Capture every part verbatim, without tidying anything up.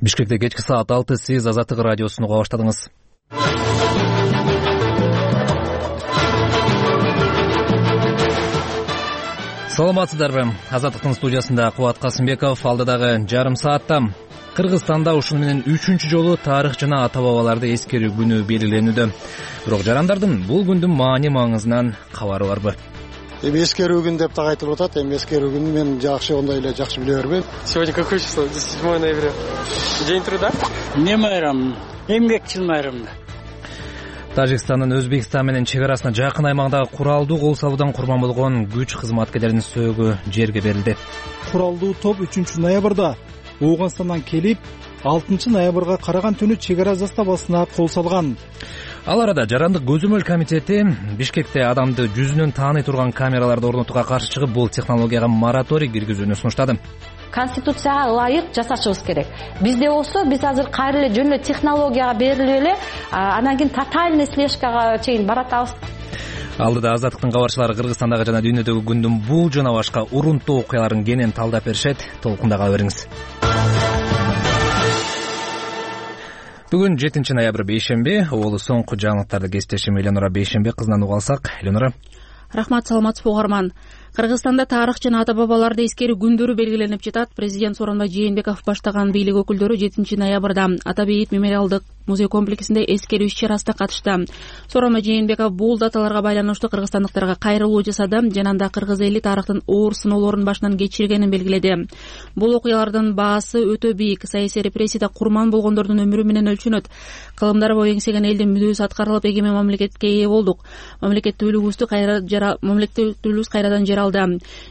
Бишкекте кечки саат алты, сиз Азаттык радиосун уга баштадыңыз. Саламатсыздарбы? Азаттыктын студиясында Кубат Касымбеков. Алдыдагы жарым саатта Кыргызстанда ушуну менен үчүнчү жолу тарых жана ата-бабаларды эскерүү күнү белгиленүүдө. Бирок жарандардын бул күндүн маани маңызынан кабары барбы? Эми эскерүү күн деп так айтылып атат. Эми эскерүү күнүн мен жакшы ондай эле жакшы биле бербейм. Сегодня какое число? седьмое ноября. День труда? Не майрам, эмгекчил майрам. Тажикстандын Өзбекстан менен чек арасына жакын аймагындагы куралдуу кол салуудан курман болгон күч кызматкерлеринин сөөгү жерге берилди. Куралдуу топ үчүнчү ноябрда Ооганстандан келип, алтынчы ноябрга караган түнү чек ара заставасына кол салган. Ал арада Жарандык көзөмөл комитети Бишкекте адамды жүзүнөн тааный турган камераларды орнотууга каршы чыгып, бул технологияга мораторий киргизүүнү сунуштады. Конституцияга ылайык жасашыбыз керек. Бизде болсо, биз азыр кайра эле жөн эле технологияга берилип эле, анан кийин тотальный слежкага чейин баратабыз. Алдыда Азаттыктын кабарчылары Кыргызстандагы жана дүйнөдөгү күндүн бул жана башка урунттуу окуяларын кенен талдап беришет. Толкунда кала бериңиз. Бүгүн жетинчи ноябрь бейшемби. Оолу соңку жаңылыктарды кесиптешим Эленора Бейшембек кызынан уга алсак. Эленора. Рахмат, саламатсызбы угарман. Кыргызстанда тарых жана ата-бабаларды эскерүү күндөрү белгиленип жатат. Президент Сооронбай Жээнбеков баштаган бийлик өкүлдөрү жетинчи ноябрда Ата Бейит мемориалдык музей комплексинде эскерүү иш-чарасына катышты. Сооронбай Жээнбеков бул даталарга байланыштуу кыргызстандыктарга кайрылуу жасады жана анда кыргыз эли тарыхтын оор сыноолорун башынан кечиргенин белгиледи. Бул окуялардын баасы өтө бийик. Саясий репрессияда курман болгондордун өмүрү менен өлчөнөт. Кылымдары бою эңсеген элдин мүдөөсү аткарылып, эгемен мамлекетке ээ болдук. Мамлекеттүүлүгүбүздү кайра жара мамлекеттүүлүгүбүз кайрадан жаралды.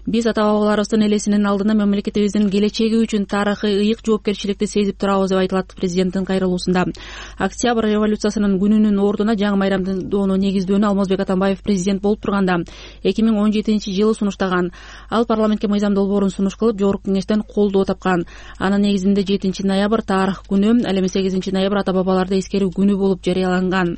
Биз ата-бабаларыбыздын элесинин алдында мамлекетибиздин келечеги үчүн тарыхый ыйык жоопкерчиликти сезип турабыз деп айтылат президенттин кайрылуусунда. Октябрь революциясынын күнүнүн ордуна жаңы майрамдоону негиздөөнү Алмазбек Атамбаев президент болуп турганда эки миң он жетинчи жылы сунуштаган. Ал парламентке мыйзам долбоорун сунуш кылып, жогорку кеңештен колдоо тапкан. Анын негизинде жетинчи ноябрь тарых күнү, ал эми сегизинчи ноябрь ата-бабаларды эскерүү күнү болуп жарыяланган.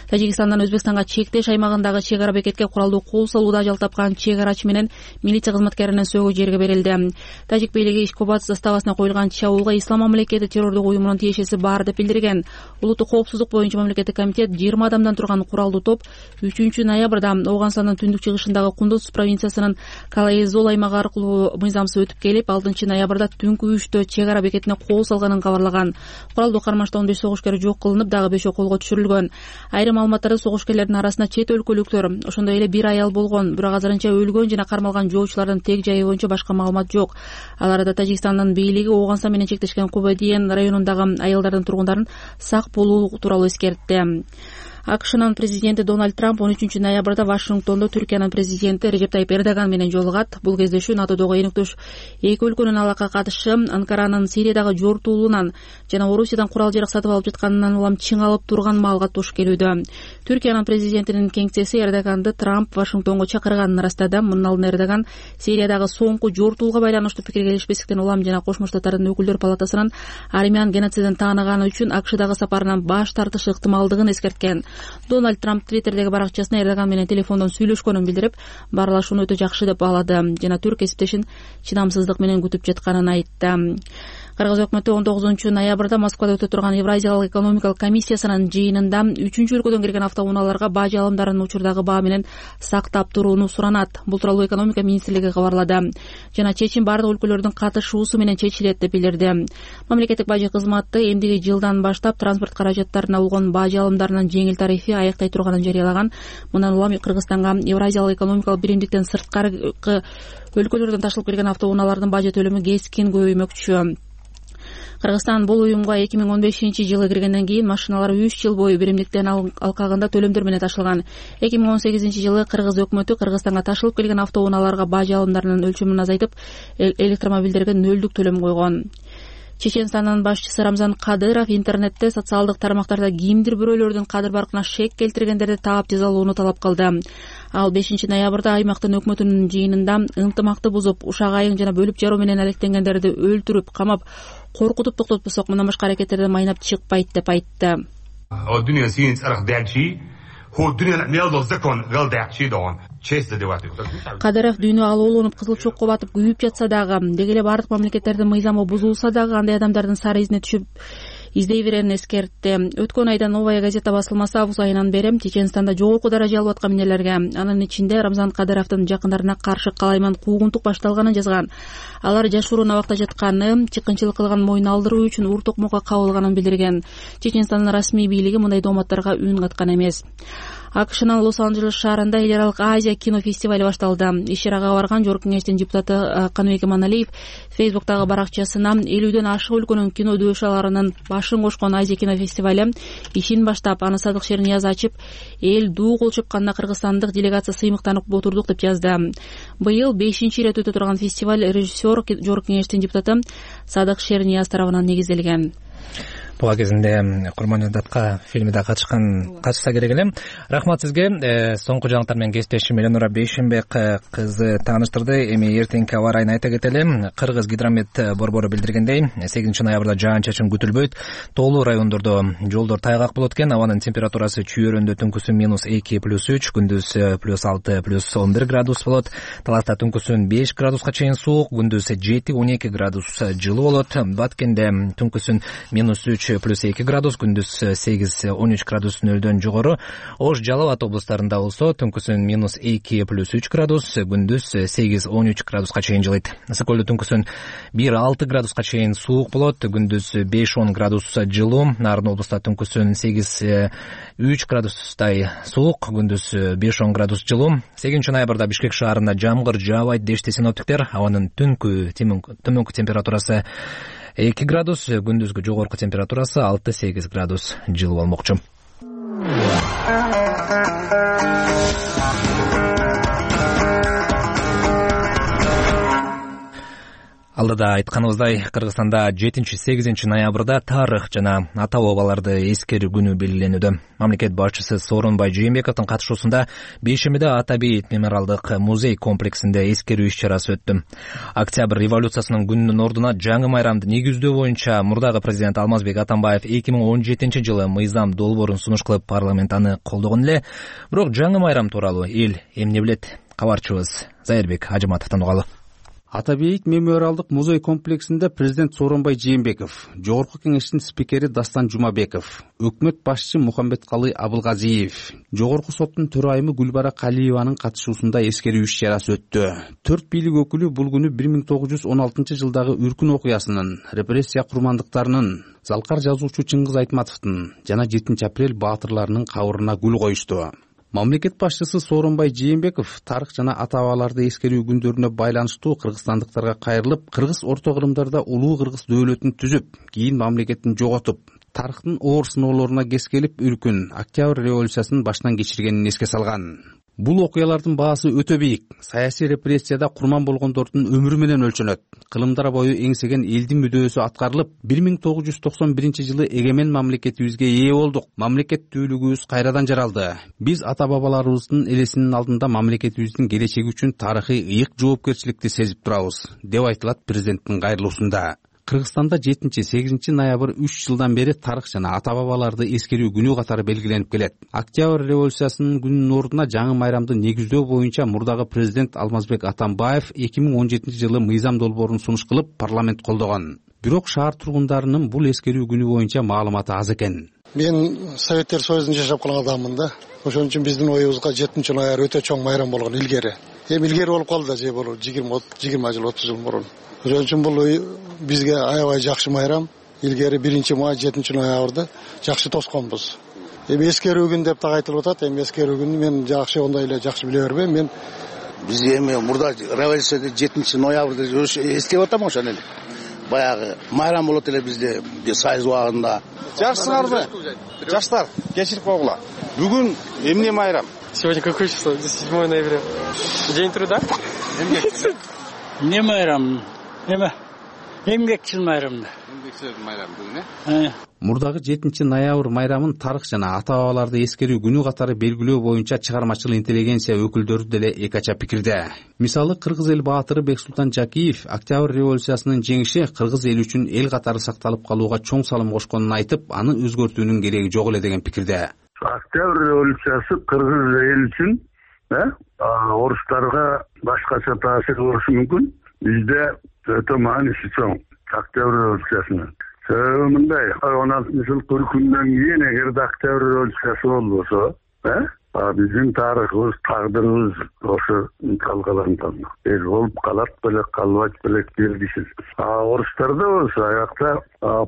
Тажикстандан Өзбекстанга чектеш аймагындагы чек ара бекетке куралдуу кол салууда ажал тапкан чек арачы менен милиция кызматкеринин сөөгү жерге берилди. Тажик бийлиги Ишкобад заставасына коюлган чабуулга Ислам мамлекети террордук уюмунун тиешеси бар деп билдирген. Улуттук коопсуздук боюнча мамлекеттик комитет жыйырма адамдан турган куралдуу топ үчүнчү ноябрда Ооганстандын түндүк чыгышындагы Кундуз провинциясынын Калайзол аймагы аркылуу мыйзамсыз өтүп келип, алтынчы ноябрда түнкү үчтө чек ара бекетине кол салганын кабарлаган. Куралдуу кармашта он беш согушкер жок кылынып, дагы бешөө колго түшүрүлгөн. Айрым маалыматтарда согушкерлердин арасында чет өлкөлүктөр, ошондой эле бир аял болгон. Бирок азырынча өлгөн жана кармалган жоочулардын тег жайы боюнча башка маалымат жок. Ал арада Тажикстандын бийлиги Ооганстан менен чектешкен Кубадиен районундагы аялдардын тургундарын сак болуу тууралуу эскертти. АКШнын президенти Дональд Трамп он үчүнчү ноябрда Вашингтондо Түркиянын президенти Режеп Тайип Эрдоган менен жолугат. Бул кездешүү НАТОдогу энөктөш эки өлкөнүн алака катышы, Анкаранын Сириядагы жортуулуунан жана Орусиядан курал жарак сатып алып жатканынан улам чыңалып турган маалга туш келүүдө. Түркиянын президентинин кеңсеси Эрдоганды Трамп Вашингтонго чакырганын ырастады. Мындан алдын Эрдоган Сириядагы соңку жортуулга байланыштуу пикир келишпестиктен улам жана Кошмо Штаттардын өкүлдөр палатасынын армян геноцидин тааныганы үчүн АКШдагы сапарынан баш тартышы ыктымалдыгын эскерткен. Дональд Трамп Твиттердеги баракчасына Эрдоган менен телефондон сүйлөшкөнүн билдирип, баарлашууну өтө жакшы деп баалады жана түрк кесиптешин чыдамсыздык менен күтүп жатканын айтты. Кыргыз өкмөтү он тогузунчу ноябрда Москвада өтө турган Евразиялык экономикалык комиссиясынын жыйынында үчүнчү өлкөдөн келген автоунааларга баа алымдарын учурдагы баа менен сактап турууну суранат. Бул тууралуу экономика министрлиги кабарлады. Жана чечим бардык өлкөлөрдүн катышуусу менен чечилет деп билдирди. Мамлекеттик бажы кызматы эмдиги жылдан баштап транспорт каражаттарына болгон баа алымдарынын жеңил тарифи аяктай турганын жарыялаган. Мындан улам Кыргызстанга Евразиялык экономикалык биримдиктен сырткары өлкөлөрдөн ташылып келген автоунаалардын бажы төлөмү кескин көбөймөкчү. Кыргызстан бул уюмга эки миң он бешинчи жылы киргенден кийин машиналар үч жыл бою биримдиктен алкагында төлөмдөр менен ташылган. эки миң он сегизинчи жылы Кыргыз өкмөтү Кыргызстанга ташылып келген автоунааларга бажы алымдарынын өлчөмүн азайтып, электромобилдерге нөлдүк төлөм койгон. Чеченстандын башчысы Рамзан Кадыров интернетте социалдык тармактарда кимдир бирөөлөрдүн кадыр баркына шек келтиргендерди таап жазалоону талап кылды. Ал бешинчи ноябрда аймактын өкмөтүнүн жыйынында ынтымакты бузуп, ушак айың жана бөлүп жаруу менен алектенгендерди өлтүрүп, камап, коркутуп токтотпосок мындан башка аракеттерден майнап чыкпайт деп айтты. честь задевать. Кадыров дүйнө алууланып кызыл чокко батып күйүп жатса дагы, деги эле бардык мамлекеттердин мыйзамы бузулса дагы андай адамдардын сары изине түшүп издей берерин эскертти. Өткөн айда Новая газета басылмасы август айынан бери Чеченстанда жогорку даража алып аткан эмнелерге, анын ичинде Рамзан Кадыровдун жакындарына каршы калайман куугунтук башталганын жазган. Алар жашыруун абакта жатканы, чыккынчылык кылган моюн алдыруу үчүн ур токмокко кабылганын билдирген. Чеченстандын расмий бийлиги мындай дооматтарга үн каткан эмес. АКШнын Лос-Анджелес шаарында эл аралык Азия кинофестивали башталды. Иш-чарага барган Жогорку Кеңештин депутаты Каныбек Иманалиев Фейсбуктагы баракчасына элүүдөн ашык өлкөнүн кино дөөшаларынын башын кошкон Азия кинофестивали ишин баштап, аны Садык Шернияз ачып, эл дуу кол чапканда кыргызстандык делегация сыймыктанып отурдук деп жазды. Быйыл бешинчи ирет өтө турган фестиваль режиссер Жогорку Кеңештин депутаты Садык Шернияз тарабынан негизделген. Буга кезинде Курман Датка фильмиде катышкан катышса керек эле. Рахмат сизге. Соңку жаңылыктар менен кесиптешим Эленура Бейшенбек кызы тааныштырды. Эми эртеңки аба ырайын айта кетели. Кыргыз гидромет борбору билдиргендей, сегизинчи ноябрда жаан-чачын күтүлбөйт. Тоолуу райондордо жолдор тайгак болот экен. Абанын температурасы чүйөрөндө түнкүсүн минус эки плюс үч, күндүз плюс алты плюс он бир градус болот. Таласта түнкүсүн беш градуска чейин суук, күндүз жети он эки градус жылуу болот. Баткенде түнкүсүн минус үч плюс эки градус, күндүз сегиз он үч градус нөлдөн жогору. Ош, Жалал Ат облустарында болсо түнкүсүн минус эки плюс үч градус, күндүз сегиз он үч градуска чейин жылыйт. Ысык көлдө түнкүсүн бир алты градуска чейин суук болот, күндүз беш он градус жылуу. Нарын облустта түнкүсүн сегиз үч градустай суук, күндүз беш он градус жылуу. сегизинчи ноябрда Бишкек шаарында жамгыр жаабайт дешти синоптиктер. Абанын түнкү төмөнкү температурасы эки градус, күндүзгү жогорку температурасы алты сегиз градус жылуу болмокчу. Алдыда айтканыбыздай, Кыргызстанда жетинчи сегизинчи ноябрда тарых жана ата бабаларды эскерүү күнү белгиленүүдө. Мамлекет башчысы Сооронбай Жээнбековдун катышуусунда бейшембиде Ата Бейит мемориалдык музей комплексинде эскерүү иш-чарасы өттү. Октябрь революциясынын күнүнүн ордуна жаңы майрамды негиздөө боюнча мурдагы президент Алмазбек Атамбаев эки миң он жетинчи жылы мыйзам долбоорун сунуш кылып парламент аны колдогон эле. Бирок жаңы майрам тууралуу эл эмне билет? Кабарчыбыз Зайырбек Ажыматовдон угалы. Ата Бейит мемориалдык музей комплексинде президент Сооронбай Жээнбеков, Жогорку Кеңештин спикери Дастан Жумабеков, өкмөт башчысы Мухамбеткалый Абылгазиев, Жогорку соттун төрайымы Гүлбара Калиеванын катышуусунда эскерүү иш-чарасы өттү. Төрт бийлик өкүлү бул күнү бир миң тогуз жүз он алтынчы жылдагы үркүн окуясынын, репрессия курмандыктарынын, Залкар жазуучу Чыңгыз Айтматовдун жана жетинчи апрель баатырларынын кабырына гүл коюшту. Мамлекет башчысы Сооронбай Жээнбеков тарых жана ата бабаларды эскерүү күндөрүнө байланыштуу кыргызстандыктарга кайрылып, кыргыз орто кырымдарда улуу кыргыз дөөлөтүн түзүп, кийин мамлекетин жоготуп, тарыхтын оор сыноолоруна кескелип үркүн Октябрь революциясын баштан кечиргенин эске салган. Бул окуялардын баасы өтө бийик. Саясий репрессияда курман болгондордун өмүрү менен өлчөнөт. Кылымдар бою эңсеген элдин мүдөөсү аткарылып, бир миң тогуз жүз токсон биринчи жылы эгемен мамлекетибизге ээ болдук. Мамлекеттүүлүгүбүз кайрадан жаралды. Биз ата бабаларыбыздын элесинин алдында мамлекетибиздин келечеги үчүн тарыхый ыйык жоопкерчиликти сезип турабыз, деп айтылат президенттин кайрылуусунда. Кыргызстанда жетинчи сегизинчи ноябрь үч жылдан бери тарых жана ата бабаларды эскерүү күнү катары белгиленип келет. Октябрь революциясынын күнүнүн ордуна жаңы майрамды негиздөө боюнча мурдагы президент Алмазбек Атамбаев эки миң он жетинчи жылы мыйзам долбоорун сунуш кылып парламент колдогон. Бирок шаар тургундарынын бул эскерүү күнү боюнча маалыматы аз экен. Мен Советтер Союзунда жашап калган адаммын да. Ошон үчүн биздин оюбузга жетинчи ноябрь өтө чоң майрам болгон илгери. Эми илгери болуп калды да, же болуп жыйырма жыл отуз жыл мурун. Ошон үчүн бул бизге аябай жакшы майрам. Илгери биринчи май жетинчи ноябрда жакшы тосконбуз. Эми эскерүү күн деп так айтылып атат. Эми эскерүү күнү мен жакшы ондай эле жакшы биле бербейм. Мен биз эми мурда революцияда жетинчи ноябрда эстеп атам ошон эле. Баягы майрам болот эле бизде Союз убагында. Жакшысыңарбы? Жаштар, кечирип койгула. Бүгүн эмне майрам? Сегодня какое число? седьмое ноября. День труда? Не майрам? Эме? Эмгекчил майрам. Эмгекчил майрам бүгүн, э? Мурдагы жетинчи ноябрь майрамын тарых жана ата бабаларды эскерүү күнү катары белгилөө боюнча чыгармачыл интеллигенция өкүлдөрү деле эки ача пикирде. Мисалы, кыргыз эл баатыры Бексултан Жакиев Октябрь революциясынын жеңиши кыргыз эл үчүн эл катары сакталып калууга чоң салым кошконун айтып, аны өзгөртүүнүн кереги жок эле деген пикирде. Октябрь революциясы кыргыз эл үчүн э орустарга башкача таасир болушу мүмкүн. Бизде өтө мааниси чоң Октябрь революциясынын. Себеби мындай, он алтынчы жыл түркүндөн кийин эгерде Октябрь революциясы болбосо, э биздин тарыхыбыз, тагдырыбыз ошо талкаланган. Эл болуп калат белек, калбайт белек белгисиз. А орустарда болсо аякта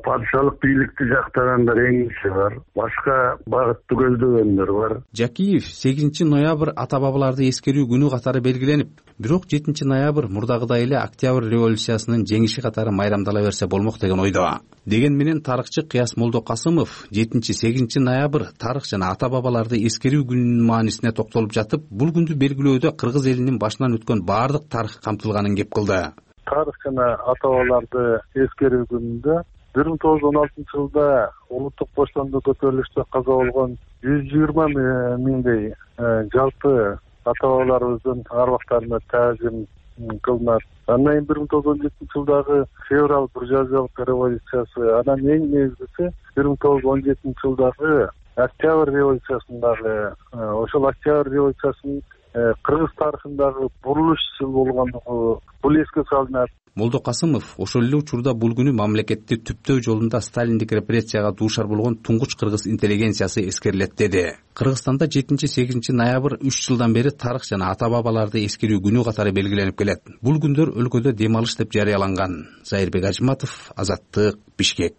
падышалык бийликти жактагандар эң киши бар, башка багытты көздөгөндөр бар. Жакиев сегизинчи ноябрь ата бабаларды эскерүү күнү катары белгиленип, бирок жетинчи ноябрь мурдагыдай эле Октябрь революциясынын жеңиши катары майрамдала берсе болмок деген ойдо. Деген менен тарыхчы Кыяс Молдокасымов жетинчи сегизинчи ноябрь тарых жана ата бабаларды эскерүү күнүнүн маанисине токтолуп жатып, бул күндү белгилөөдө кыргыз элинин башынан өткөн баардык тарых камтылганын кеп кылды. Тарых жана ата бабаларды эскерүү күнүндө бир миң тогуз жүз он алтынчы жылда улуттук боштондук көтөрүлүштө каза болгон жүз жыйырма миңдей жалпы ата бабаларыбыздын арбактарына таазим кылынат. Андан кийин бир миң тогуз жүз он жетинчи жылдагы февраль буржуазиялык революциясы, анан эң негизгиси бир миң тогуз жүз он жетинчи жылдагы Октябрь революциясындагы, ошол Октябрь революциясынын кыргыз тарыхындагы бурулуш жыл болгондугу бул эске салынат. Молдокасымов ошол эле учурда бул күнү мамлекетти түптөө жолунда сталиндик репрессияга дуушар болгон туңгуч кыргыз интеллигенциясы эскерилет деди. Кыргызстанда жетинчи сегизинчи ноябрь үч жылдан бери тарых жана ата бабаларды эскерүү күнү катары белгиленип келет. Бул күндөр өлкөдө дем алыш деп жарыяланган. Зайырбек Ажматов, Азаттык, Бишкек.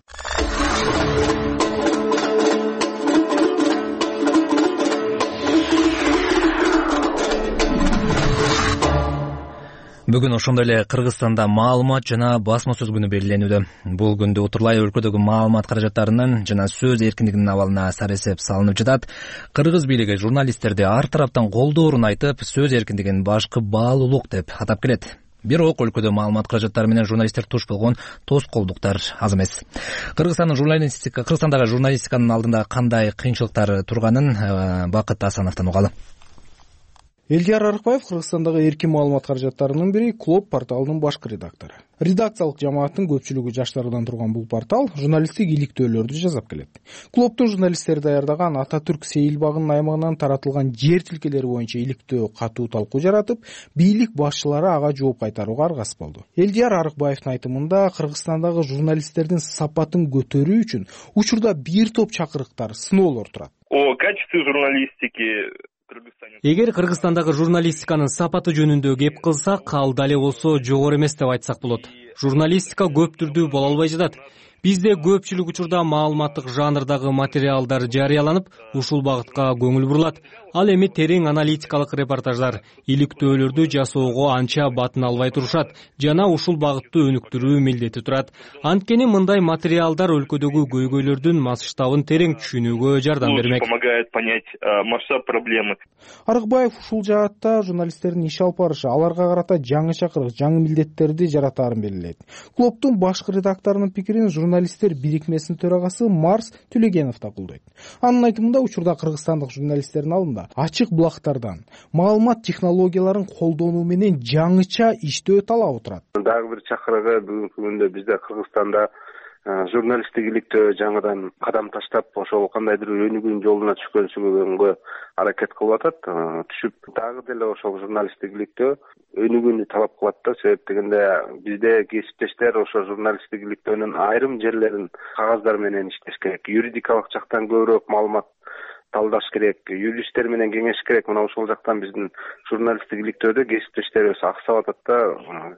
Бүгүн ошондой эле Кыргызстанда маалымат жана басма сөз күнү белгиленүүдө. Бул күндө утурлай өлкөдөгү маалымат каражаттарынын жана сөз эркиндигинин абалына саресеп салынып жатат. Кыргыз бийлиги журналисттерди ар тараптан колдоорун айтып, сөз эркиндигин башкы баалуулук деп атап келет. Бирок өлкөдө маалымат каражаттары менен журналисттер туш болгон тоскоолдуктар аз эмес. Кыргызстандын журналистика, Кыргызстандагы журналистиканын алдында кандай кыйынчылыктар турганын Бакыт Асановдон угалы. Элдияр Арыкбаев Кыргызстандагы эркин маалымат каражаттарынын бири Клоп порталынын башкы редактору. Редакциялык жамааттын көпчүлүгү жаштардан турган бул портал журналисттик иликтөөлөрдү жасап келет. Клоптун журналисттери даярдаган Ататүрк Сейилбагынын аймагынан таратылган жер тилкелери боюнча иликтөө катуу талкуу жаратып, бийлик башчылары ага жооп кайтарууга аргасыз болду. Элдияр Арыкбаевдин айтымында Кыргызстандагы журналисттердин сапатын көтөрүү үчүн учурда бир топ чакырыктар, сыноолор турат. О качестве журналистики Эгер Кыргызстандагы журналистиканын сапаты жөнүндө кеп кылсак, ал дале болсо жогору эмес деп айтсак болот. Журналистика көп түрдүү боло албай жатат. Бизде көпчүлүк учурда маалыматтык жанрдагы материалдар жарыяланып, ушул багытка көңүл бурулат. Ал эми терең аналитикалык репортаждар, иликтөөлөрдү жасоого анча батын албай турушат жана ушул багытты өнүктүрүү милдети турат. Анткени мындай материалдар өлкөдөгү көйгөйлөрдүн масштабын терең түшүнүүгө жардам бермек. Помогает понять масштаб проблемы. Арыкбаев ушул жаатта журналисттердин иш алып барышы аларга карата жаңы чакырык, жаңы милдеттерди жаратаарын белгилейт. Клоптун башкы редакторунун пикирин журналисттер бирикмесинин төрагасы Марс Төлегенов да колдойт. Анын айтымында учурда кыргызстандык журналисттердин алдында ачык булактардан маалымат технологияларын колдонуу менен жаңыча иштөө талабы турат. Дагы бир чакырыгы бүгүнкү күндө бизде Кыргызстанда журналисттик иликтөө жаңыдан кадам таштап, ошол кандайдыр өнүгүүнүн жолуна түшкөнсүгөнгө аракет кылып атат. Түшүп дагы деле ошол журналисттик иликтөө өнүгүүнү талап кылат да. Себеп дегенде бизде кесиптештер ошо журналисттик иликтөөнүн айрым жерлерин кагаздар менен иштеш керек. Юридикалык жактан көбүрөөк маалымат талдаш керек, юристтер менен кеңеш керек. Мына ошол жактан биздин журналисттик иликтөөдө кесиптештерибиз аксап атат да.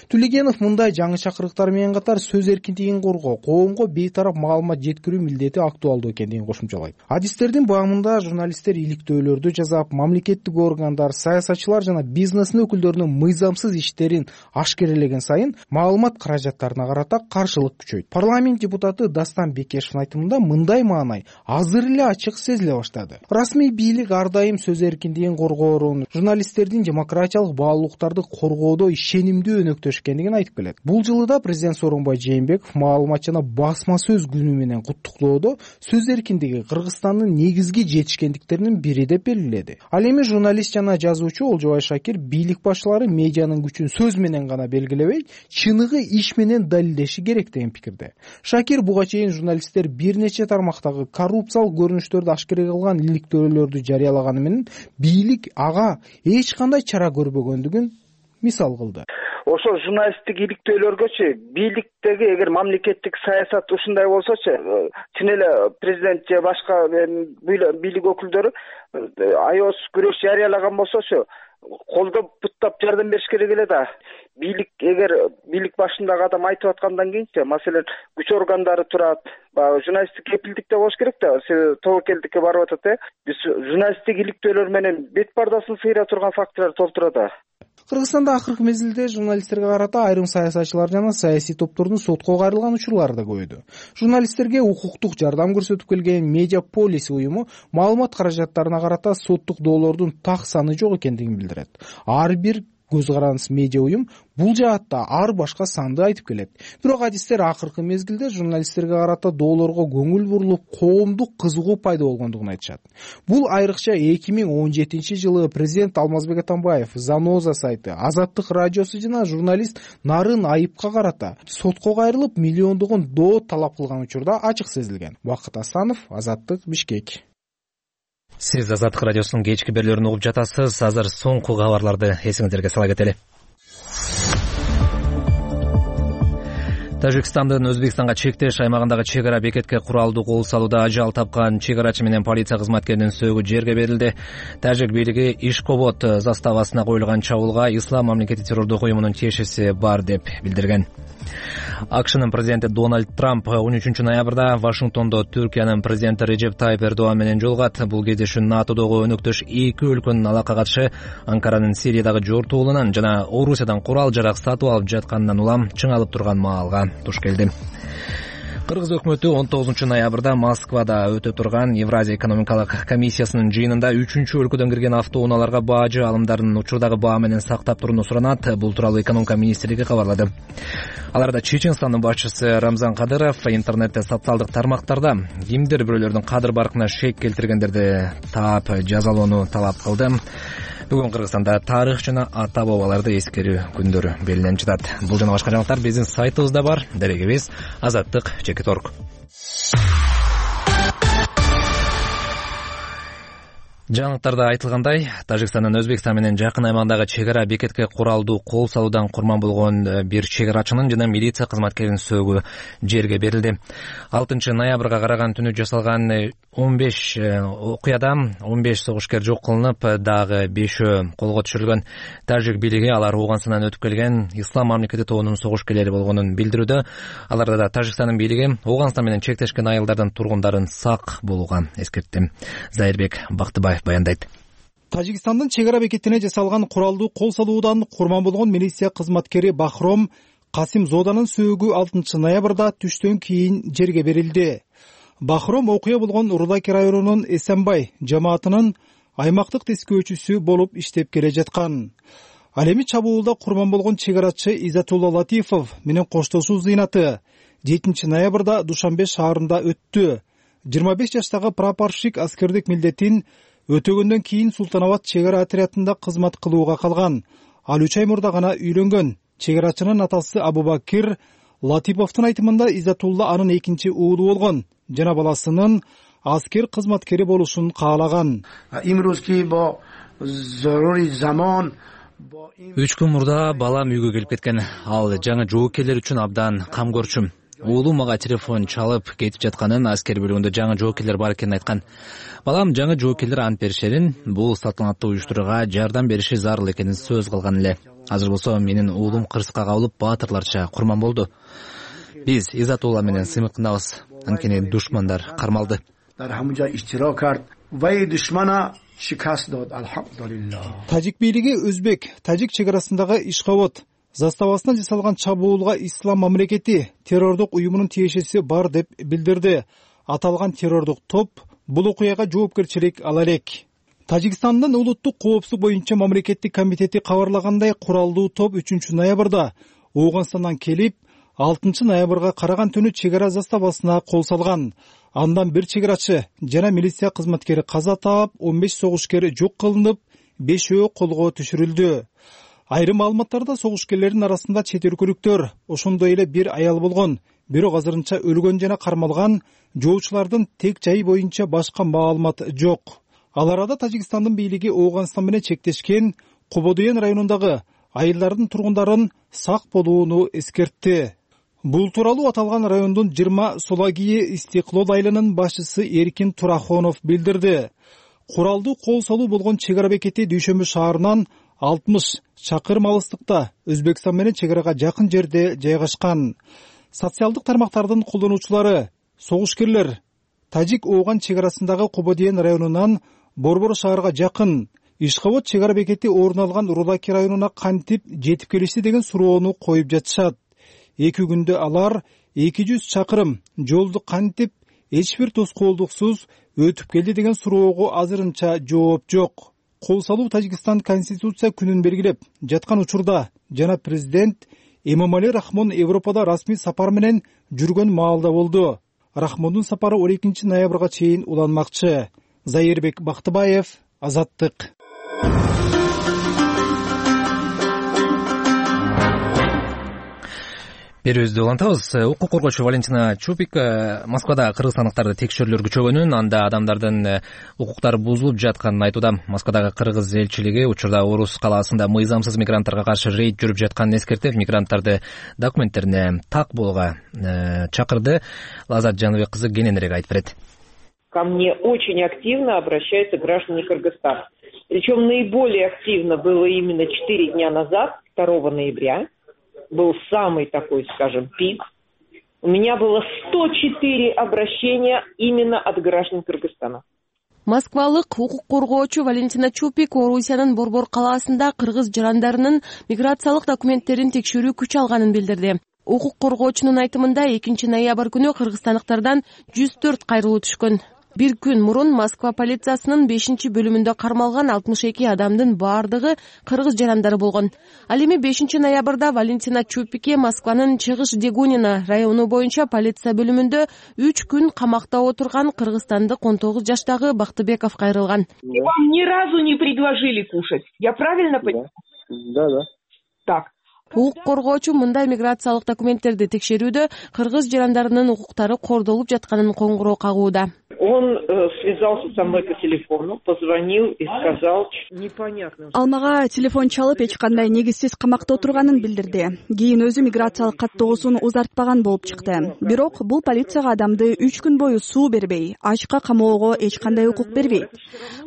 Төлегенов мындай жаңы чакырыктар менен катар сөз эркиндигин коргоо, коомго бейтарап маалымат жеткирүү милдети актуалдуу экендигин кошумчалайт. Адистердин баамында журналисттер иликтөөлөрдү жазап, мамлекеттик органдар, саясатчылар жана бизнестин өкүлдөрүнүн мыйзамсыз иштерин ашкерелеген сайын маалымат каражаттарына карата каршылык күчөйт. Парламент депутаты Дастан Бекешевдин айтымында мындай маанай азыр эле ачык сезиле баштады. Расмий бийлик ар дайым сөз эркиндигин коргоорун, журналисттердин демократиялык баалуулуктарды коргоодо ишенимдүү өнөктөшкөндүгүн айтып келет. Бул жылы да президент Сооронбай Жээнбеков маалымат жана басма сөз күнү менен куттуктоодо сөз эркиндиги Кыргызстандын негизги жетишкендиктеринин бири деп белгиледи. Ал эми журналист жана жазуучу Олжобай Шакир бийлик башчылары медианын күчүн сөз менен гана белгилебей, чыныгы иш менен далилдеши керек деген пикирде. Шакир буга чейин журналисттер бир нече тармактагы коррупциялык көрүнүштөрдү ашкереге кылган иликтөөлөрдү жарыялаганы менен бийлик ага эч кандай чара көрбөгөндүгүн мисал кылды. Ошол журналисттик иликтөөлөргөчү бийликтеги эгер мамлекеттик саясат ушундай болсочу, чын эле президент же башка бийлик өкүлдөрү аябыз күрөш жарыялаган болсочу, колдоп буттап жардам бериш керек эле да. Бийлик эгер бийлик башындагы адам айтып аткандан кийинчи, маселен, күч органдары турат, баягы журналисттик кепилдикте болуш керек да. Себеби тобокелдикке барып атат, э. Биз журналисттик иликтөөлөр менен бет пардасын сыйра турган фактылар толтура да. Кыргызстанда акыркы мезгилде журналисттерге карата айрым саясатчылар жана саясий топтордун сотко кайрылган учурлары да көбөйдү. Журналисттерге укуктук жардам көрсөтүп келген Медиаполис уюму маалымат каражаттарына карата соттук доолордун так саны жок экендигин билдирет. Ар бир көз карандыс медиа уюм бул жаатта ар башка санды айтып келет. Бирок адистер акыркы мезгилде журналисттерге карата доолорго көңүл бурулуп, коомдук кызыгуу пайда болгондугун айтышат. Бул айрыкча эки миң он жетинчи жылы президент Алмазбек Атамбаев, Заноза сайты, Азаттык радиосу жана журналист Нарын Айыпка карата сотко кайрылып, миллиондогон доо талап кылган учурда ачык сезилген. Бакыт Асанов, Азаттык, Бишкек. Сиз Азаттык радиосунун кечки берүүлөрүн угуп жатасыз. Азыр соңку кабарларды эсиңиздерге сала кетели. Тажикстандын Өзбекстанга чектеш аймагындагы чек ара бекетке куралдуу кол салууда ажал тапкан чек арачы менен полиция кызматкеринин сөөгү жерге берилди. Тажик бийлиги Ишкобод заставасына коюлган чабуулга Ислам мамлекети террордук уюмунун тиешеси бар деп билдирген. АКШнын президенти Дональд Трамп он үчүнчү ноябрда Вашингтондо Түркиянын президенти Режеп Тайып Эрдоган менен жолугат. Бул кездешүү НАТОдогу өнөктөш эки өлкөнүн алакка катышы Анкаранын Сириядагы жортуулунан жана Орусиядан курал жарак сатып алып жатканынан улам чыңалып турган маалга туш келди. Кыргыз өкмөтү он тогузунчу ноябрда Москвада өтө турган Евразия экономикалык комиссиясынын жыйынында үчүнчү өлкөдөн кирген автоунааларга баажы алымдарын учурдагы баа менен сактап турууну суранат. Бул тууралуу экономика министрлиги кабарлады. Аларда Чеченстандын башчысы Рамзан Кадыров интернетте, социалдык тармактарда кимдир бирөөлөрдүн кадыр баркына шек келтиргендерди таап жазалоону талап кылды. Бүгүн Кыргызстанда тарых жана ата бабаларды эскерүү күндөрү белгиленип жатат. Бул жана башка жаңылыктар биздин сайтыбызда бар. Дарегибиз азаттык чекит орг. Жаңылыктарда айтылгандай, Тажикстандын Өзбекстан менен жакын аймагындагы чек ара бекетке куралдуу кол салуудан курман болгон бир чек арачынын жана милиция кызматкеринин сөөгү жерге берилди. алтынчы ноябрга караган түнү жасалган он беш окуяда он беш согушкер жок кылынып, дагы бешөө колго түшүрүлгөн. Тажик бийлиги алар Ооганстандан өтүп келген Ислам мамлекети тобунун согушкерлери болгонун билдирүүдө. Аларда да Тажикстандын бийлиги Ооганстан менен чектешкен айылдардын тургундарын сак болууга эскертти. Зайырбек Бактыбаев баяндайт. Тажикстандын чек ара бекетине жасалган куралдуу кол салуудан курман болгон милиция кызматкери Бахром Касим Зоданын сөөгү алтынчы ноябрда түштөн кийин жерге берилди. Бахром окуя болгон Рудаки районунун Эсенбай жамаатынын аймактык тескөөчүсү болуп иштеп келе жаткан. Ал эми чабуулда курман болгон чек арачы Изатулла Латифов менен коштошуу зыйнаты жетинчи ноябрда Душанбе шаарында өттү. жыйырма беш жаштагы прапорщик аскердик милдетин өтөгөндөн кийин Султанабад чек ара отрядында кызмат кылууга калган. Ал үч ай мурда гана үйлөнгөн. Чек арачынын атасы Абубакир Латиповдун айтымында Изатулла анын экинчи уулу болгон жана баласынын аскер кызматкери болушун каалаган. Үч күн мурда балам үйгө келип кеткен. Ал жаңы жоокерлер үчүн абдан камкорчу. Уулум мага телефон чалып кетип жатканын, аскер бөлүгүндө жаңы жоокерлер бар экенин айткан. Балам жаңы жоокерлер ант беришерин, бул салтанаттуу уюштурууга жардам бериши зарыл экенин сөз кылган эле. Азыр болсо менин уулум кырсыкка кабылып баатырларча курман болду. Биз Изатулла менен сыймыктанабыз. Анткени душмандар кармалды. Тажик бийлиги Өзбек Тажик чек арасындагы Ишкобод заставасына жасалган чабуулга Ислам мамлекети террордук уюмунун тиешеси бар деп билдирди. Аталган террордук топ бул окуяга жоопкерчилик ала элек. Тажикстандын улуттук коопсуздук боюнча мамлекеттик комитети кабарлагандай, куралдуу топ үчүнчү ноябрда Ооганстандан келип, алтынчы ноябрга караган түнү чек ара заставасына кол салган. Андан бир чек арачы жана милиция кызматкери каза таап, он беш согушкер жок кылынып, бешөө колго түшүрүлдү. Айрым маалыматтарда согушкерлердин арасында чет өлкөлүктөр, ошондой эле бир аял болгон. бирок азырынча өлгөн жана кармалган жоочулардын тек жайы боюнча башка маалымат жок. Ал арада Тажикстандын бийлиги Ооганстан менен чектешкен Кободоен районундагы айылдардын тургундарын сак болууну эскертти. Бул тууралуу аталган райондун жыйырма Солагие Истеклол айылынын башчысы Эркин Турахонов билдирди. Куралдуу кол салуу болгон чек ара бекети Дүйшөмбү шаарынан алтымыш чакырым алыстыкта Өзбекстан менен чек арага жакын жерде жайгашкан. Социалдык тармактардын колдонуучулары согушкерлер Тажик Ооган чек арасындагы Кободоен районунан Борбор шаарга жакын Ишкобод чек ара бекети орун алган Рудаки районуна кантип жетип келишти деген суроону коюп жатышат. Эки күндө алар эки жүз чакырым жолду кантип эч бир тоскоолдуксуз өтүп келди деген суроого азырынча жооп жок. Кол салуу Тажикстан Конституция күнүн белгилеп жаткан учурда жана президент Эмомали Рахмон Европада расмий сапар менен жүргөн маалда болду. Рахмондун сапары он экинчи ноябрга чейин уланмакчы. Зайырбек Бактыбаев, Азаттык. Берүүбүздү улантабыз. Укук коргоочу Валентина Чупик Москвада кыргызстандыктарды текшерүүлөр күчөгөнүн, анда адамдардын укуктары бузулуп жатканын айтууда. Москвадагы кыргыз элчилиги учурда Орус калаасында мыйзамсыз мигранттарга каршы рейд жүрүп жатканын эскертип, мигранттарды документтерине так болууга чакырды. Лазат Жаныбек кызы кененирээк айтып берет. Ко мне очень активно обращаются граждане Кыргызстана. Причем наиболее активно было именно четыре дня назад, второго ноября. Был самый такой, скажем, пик. У меня было сто четыре обращения именно от граждан Кыргызстана. Москвалык укук коргоочу Валентина Чупик Орусиянын Борбор калаасында кыргыз жарандарынын миграциялык документтерин текшерүү күч алганын билдирди. Укук коргоочунун айтымында экинчи ноябрь күнү кыргызстандыктардан жүз төрт кайрылуу түшкөн. Бир күн мурун Москва полициясынын бешинчи бөлүмүндө кармалган алтымыш эки адамдын баардыгы кыргыз жарандары болгон. Ал эми бешинчи ноябрда Валентина Чупикке Москванын Чыгыш Дегунина району боюнча полиция бөлүмүндө үч күн камакта отурган кыргызстандык он тогуз жаштагы Бактыбеков кайрылган. Вам ни разу не предложили кушать. Я правильно понимаю? Да, да. Так. Укук коргоочу мындай миграциялык документтерди текшерүүдө кыргыз жарандарынын укуктары кордолуп жатканын коңгуроо кагууда. Он э, связался со мной по телефону, позвонил и сказал, непонятно. Ал мага телефон чалып эч кандай негизсиз камакта отурганын билдирди. Кийин өзү миграциялык каттоосун узартпаган болуп чыкты. Бирок бул полицияга адамды үч күн бою суу бербей, ачка камоого эч кандай укук бербейт.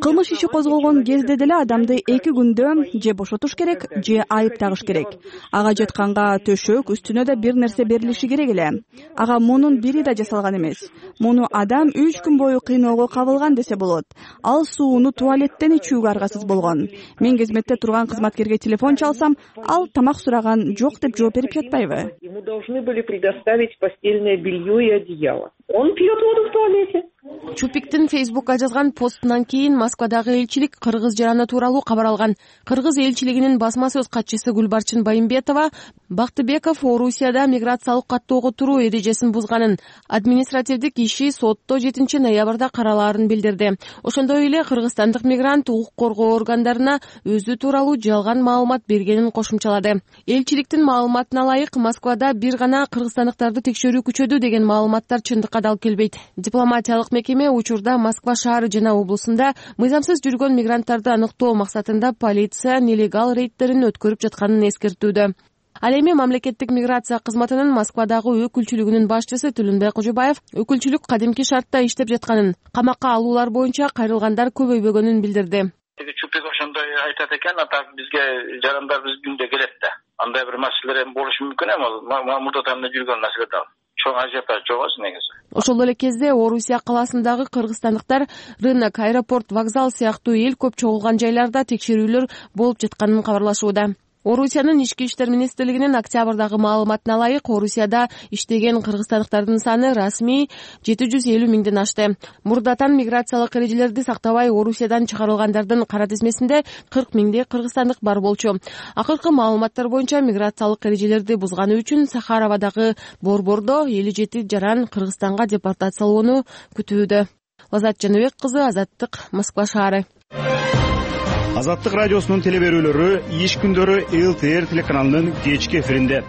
Кылмыш иши козголгон кезде деле адамды эки күндө же бошотуш керек, же айып тагыш керек. Ага жатканга төшөк, үстүнө да бир нерсе берилиши керек эле. Ага мунун бири да жасалган эмес. Муну адам үч күн бою кыйноого кабылган десе болот. Ал сууну туалеттен ичүүгө аргасыз болгон. Мен кызметте турган кызматкерге телефон чалсам, ал тамак сураган жок деп жооп берип жатпайбы? Ему должны были предоставить постельное белье и одеяло. Он пьет воду в туалете. Чупиктин Фейсбукка жазган постунан кийин Москвадагы элчилик кыргыз жараны тууралуу кабар алган. Кыргыз элчилигинин басма сөз катчысы Гүлбарчын Байымбетова Бактыбеков Орусияда миграциялык каттоого туруу эрежесин бузганын, административдик иши сотто жетинчи ноябрда каралаарын билдирди. Ошондой эле кыргызстандык мигрант укук коргоо органдарына өзү тууралуу жалган маалымат бергенин кошумчалады. Элчиликтин маалыматына ылайык Москвада бир гана кыргызстандыктарды текшерүү күчөдү деген маалыматтар чындыкка дал келбейт. Дипломатиялык мекеме учурда Москва шаары жана облусунда мыйзамсыз жүргөн мигранттарды аныктоо максатында полиция нелегал рейдтерин өткөрүп жатканын эскертүүдө. Ал эми мамлекеттик миграция кызматынын Москвадагы өкүлчүлүгүнүн башчысы Түлүнбек Кожобаев өкүлчүлүк кадимки шартта иштеп жатканын, камакка алуулар боюнча кайрылгандар көбөйбөгөнүн билдирди. Чупик ошондой айтат экен, а так бизге жарандар биз күндө келет да. Андай бир маселелер эми болушу мүмкүн эми, мурда таймда жүргөн маселе да. Чоң ажиотаж жок негизи. Ошол эле кезде Орусия калаасындагы кыргызстандыктар рынок, аэропорт, вокзал сыяктуу эл көп чогулган жайларда текшерүүлөр болуп жатканын кабарлашууда. Орусиянын ички иштер министрлигинин октябрдагы маалыматына ылайык, Орусияда иштеген кыргызстандыктардын саны расмий жети жүз элүү миңден ашты. Мурдатан миграциялык эрежелерди сактабай Орусиядан чыгарылгандардын кара тизмесинде кырк миңдей кыргызстандык бар болчу. Акыркы маалыматтар боюнча миграциялык эрежелерди бузганы үчүн Сахаровадагы борбордо элүү жети жаран Кыргызстанга депортациялоону күтүүдө. Лазат Жаныбек кызы, Азаттык, Москва шаары. Азаттык радиосунун телеберүүлөрү иш күндөрү эл тэ эр телеканалынын кечки эфиринде.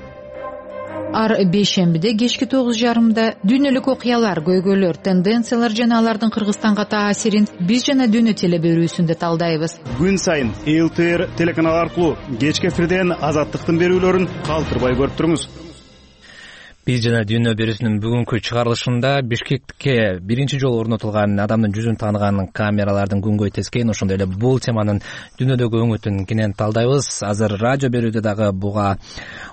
ар бейшембиде кечки тогуз жарымда дүйнөлүк окуялар, көйгөйлөр, тенденциялар жана алардын Кыргызстанга таасирин биз жана дүйнө теле берүүсүндө талдайбыз. Күн сайын эл тэ эр телеканалы аркылуу кечки эфирден Азаттыктын берүүлөрүн калтырбай көрүп туруңуз. Биз жана дүйнө берүүсүнүн бүгүнкү чыгарылышында Бишкекке биринчи жолу орнотулган адамдын жүзүн тааныган камералардын күнгөй тескейин, ошондой эле бул теманын дүйнөдөгү өңүтүн кенен талдайбыз. Азыр радио берүүдө дагы буга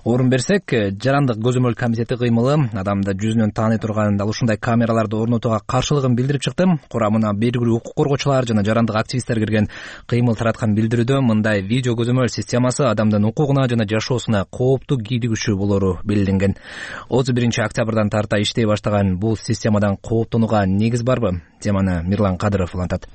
орун берсек, жарандык көзөмөл комитети кыймылы адамды жүзүнөн тааный турган дал ушундай камераларды орнотууга каршылыгын билдирип чыкты. Курамына белгилүү укук коргоочулар жана жарандык активисттер кирген кыймыл тараткан билдирүүдө мындай видео көзөмөл системасы адамдын укугуна жана жашоосуна кооптуу кийлигүүчү болору белгиленген. отуз биринчи октябрдан тарта иштей баштаган бул системадан кооптонууга негиз барбы? Теманы Мирлан Кадыров улантат.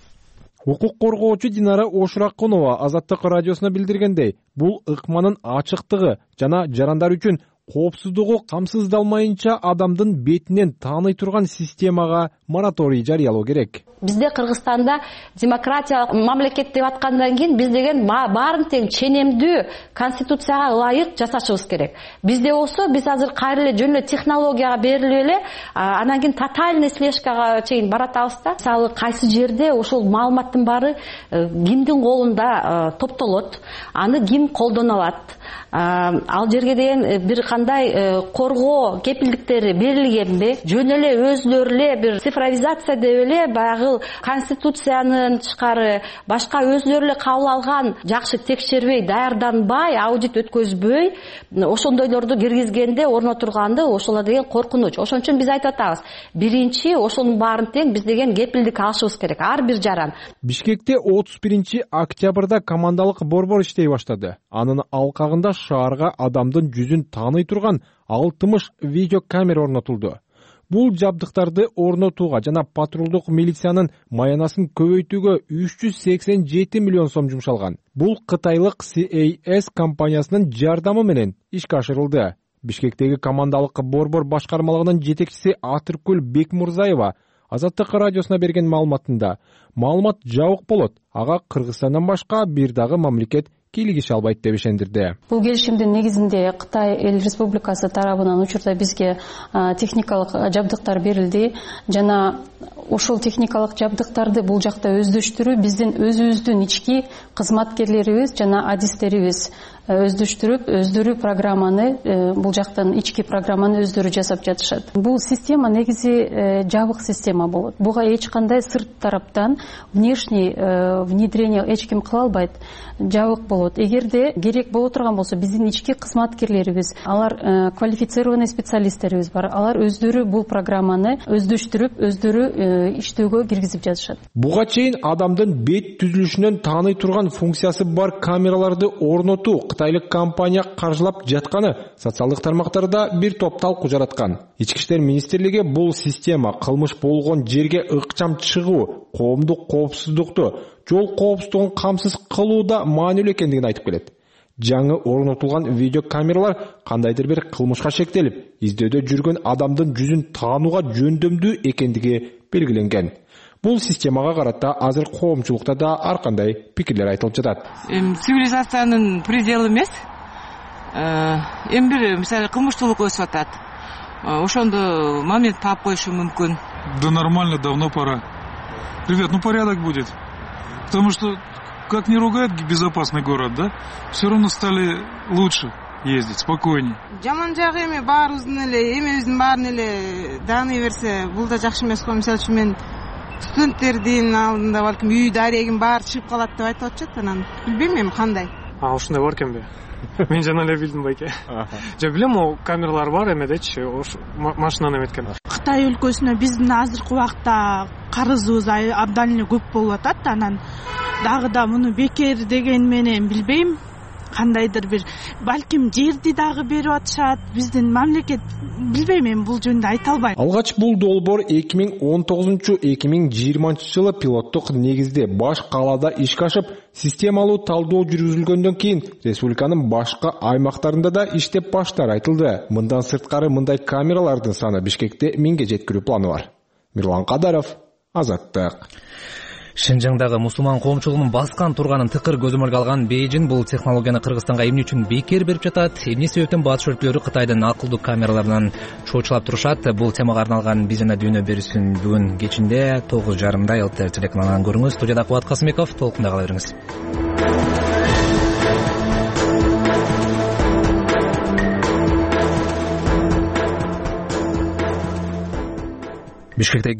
Укук коргоочу Динара Ошуракунова Азаттык радиосуна билдиргендей, бул ыкманын ачыктыгы жана жарандар үчүн коопсуздугу камсыздалмайынча адамдын бетинен тааный турган системага мораторий жарыялоо керек. Бизде Кыргызстанда демократиялык мамлекет деп аткандан кийин биз деген баарын тең ченемдүү конституцияга ылайык жасашыбыз керек. Бизде болсо биз азыр кайра эле жөн эле технологияга берилип эле анан кийин тотальный слежкага чейин баратабыз да. Мисалы кайсы жерде ошол маалыматтын баары кимдин колунда топтолот, аны ким колдоно алат, ал жерге деген бир кандай коргоо кепилдиктери берилгенби, жөн эле өзлөрү эле бир цифровизация деп эле баягы конституциянын тышкары башка өзлөрү эле кабыл алган жакшы текшербей, даярданбай, аудит өткөзбөй ошондойлорду киргизгенде орнотурганды ошолор деген коркунуч. Ошон үчүн биз айтып атабыз, биринчи ошонун баарын тең биз деген кепилдик алышыбыз керек, ар бир жаран. Бишкекте отуз биринчи октябрда командалык борбор иштей баштады. Анын алкагында шаарга адамдын жүзүн тааный турган алтымыш видеокамера орнотулду. Бул жабдыктарды орнотууга жана патрулдук милициянын маянасын көбөйтүүгө үч жүз сексен жети миллион сом жумшалган. Бул кытайлык си эй эс компаниясынын жардамы менен ишке ашырылды. Бишкектеги командалык борбор башкармалыгынын жетекчиси Атыркүл Бекмурзаева Азаттык радиосуна берген маалыматында маалымат жабык болот, ага Кыргызстандан башка бир дагы мамлекет кийлигише албайт деп ишендирди. Бул келишимдин негизинде Кытай Эл Республикасы тарабынан учурда бизге техникалык жабдыктар берилди жана ошол техникалык жабдыктарды бул жакта өздөштүрүү биздин өзүбүздүн ички кызматкерлерибиз жана адистерибиз өздөштүрүп, өздөрү программаны, бул жактан ички программаны өздөрү жасап жатышат. Бул система негизи жабык система болот. Буга эч кандай сырт тараптан внешний внедрение эч ким кыла албайт. Жабык болот. Эгерде керек боло турган болсо, биздин ички кызматкерлерибиз, алар квалифицированный специалисттерибиз бар. Алар өздөрү бул программаны өздөштүрүп, өздөрү иштөөгө киргизип жатышат. Буга чейин адамдын бет түзүлүшүнөн тааный турган функциясы бар камераларды орнотуу кытайлык компания каржылап жатканы социалдык тармактарда бир топ талкуу жараткан. Ички иштер министрлиги бул система кылмыш болгон жерге ыкчам чыгуу, коомдук коопсуздукту, жол коопсуздугун камсыз кылууда маанилүү экендигин айтып келет. Жаңы орнотулган видеокамералар кандайдыр бир кылмышка шектелип, издөөдө жүргөн адамдын жүзүн таанууга жөндөмдүү экендиги белгиленген. Бул системага карата азыр коомчулукта да ар кандай пикирлер айтылып жатат. Цивилизациянын пределы эмес. Эми бир мисалы кылмыштуулук өсүп атат. Ошондо момент таап коюшу мүмкүн. Да нормально, давно пора. Ребят, ну порядок будет. Потому что, как не ругают безопасный город, да, все равно стали лучше ездить, спокойнее. Жаман жагы эми баарыбыздын эле, эмебиздин баарын эле дааный берсе, бул да жакшы эмес го. Мисалы үчүн мен студенттердин алдында балким үйдө арегин баары чыгып калат деп айтып атышат, анан билбейм эми кандай. А ушундай бар экенби? Мен жана эле билдим байке. Же билем, о камералар бар эмедечи, ош машинаны эметкен. Кытай өлкөсүнө биздин азыркы убакта карызыбыз абдан эле көп болуп атат, анан дагы да муну бекер деген менен билбейм. Кандайдыр бир балким жерди дагы берип атышат, биздин мамлекет билбейм, мен бул жөнүндө айта албайм. Алгач бул долбоор эки миң он тогузунчу — эки миң жыйырманчы жылы пилоттук негизде баш калаада ишке ашып, системалуу талдоо жүргүзүлгөндөн кийин республиканын башка аймактарында да иштеп баштары айтылды. Мындан сырткары мындай камералардын саны Бишкекте миңге жеткирүү планы бар. Мирлан Кадаров, Азаттык. Шинжаңдагы мусулман коомчулугунун баскан турганын тыкыр көзөмөлгө алган Бейжин бул технологияны Кыргызстанга эмне үчүн бекер берип жатат, эмне себептен батыш өлкөлөрү Кытайдын акылдуу камераларынан чоочулап турушат? Бул темага арналган Биз жана дүйнө берүүсүн бүгүн кечинде тогуз жарымда ЛТР телеканалынан көрүңүз. Студияда Кубат Касымбеков, толкунда кала бериңиз. Бишкекте